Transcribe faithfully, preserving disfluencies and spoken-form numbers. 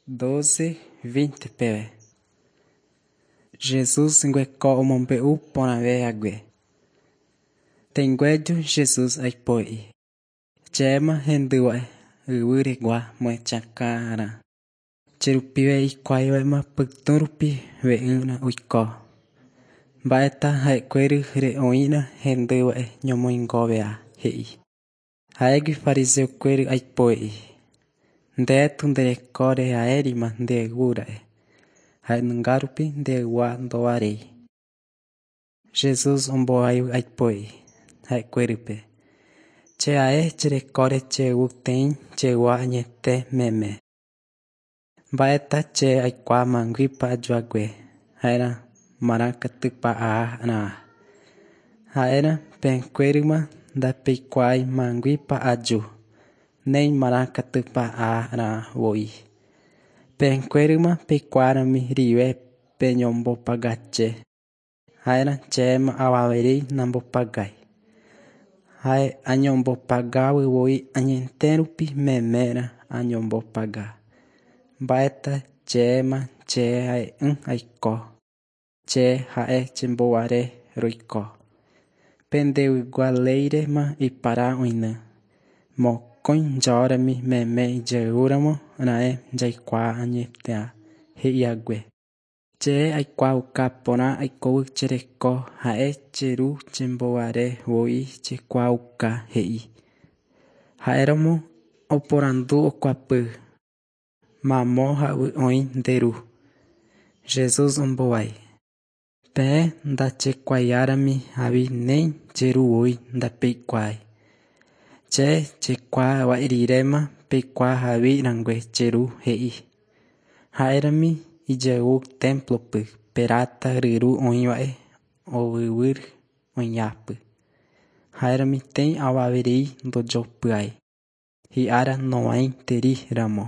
Doce veinte peve. Jesús ngueko omombe'u porãvehague. Tẽngueju Jesús aipo'i. Chéma hendýva'e yvýregua moechakãrã. Cherupive hikuáivaema pytũrupi ve'ỹra oiko. Mba'éta ha'ekuéry re'õirã hendýva'e ñomoingovea he'i. Ha'égui fariseokuéry aipo'i. Ndétu nderekorehaérima ndeyvúra'e. Ha'enungárupi ndeyvua ndovaréi. Jesús ombohovái aipo'i ha'ekuérype. Che ae cherekóre cheyvúteĩ cheyvua añete meme. Mba'éta che aikuaa ma'ãguípa ajuhague, ha'érã marãkatúpa aha'arã. Ha'érã peẽkuérama ndapeikuaái ma'ãguípa aju, néi marãkatúpa aha'arãvoi. Peẽkuérama peikuaárami rive peñombopagache. Ha'érã chéma avaverei nambopagái. Ha'e añombopagávoi añete rupi memérã añombopaga. Mba'éta chéma che ha'e'ỹ aiko. Che ha'e chembouhare roiko. Pendeygua léirema ipara oĩne. Mokõi jórami meme ijayvúramo raẽ jaikuaa añeteha he'ihague. Che aikuaauka porã aikóvo che reko ha'e che ru chembouharevoi chekuaauka he'i. Ha'éramo oporandu okuapy. Mamo javy oĩ nde ru. Jesús ombohovái. Peẽ ndachekuaáirami avei néi che rúvoi ndapeikuaái. Che chekuaava'eriréma peikuaahavirangue che ru he'i. Ha'érami ijayvu templo-py Perata ryru oĩva'e ovyvýre oĩhápy. Ha'érami tei avaverei ndojopýi. Hi'ára nog̃uaig̃uitéiramo.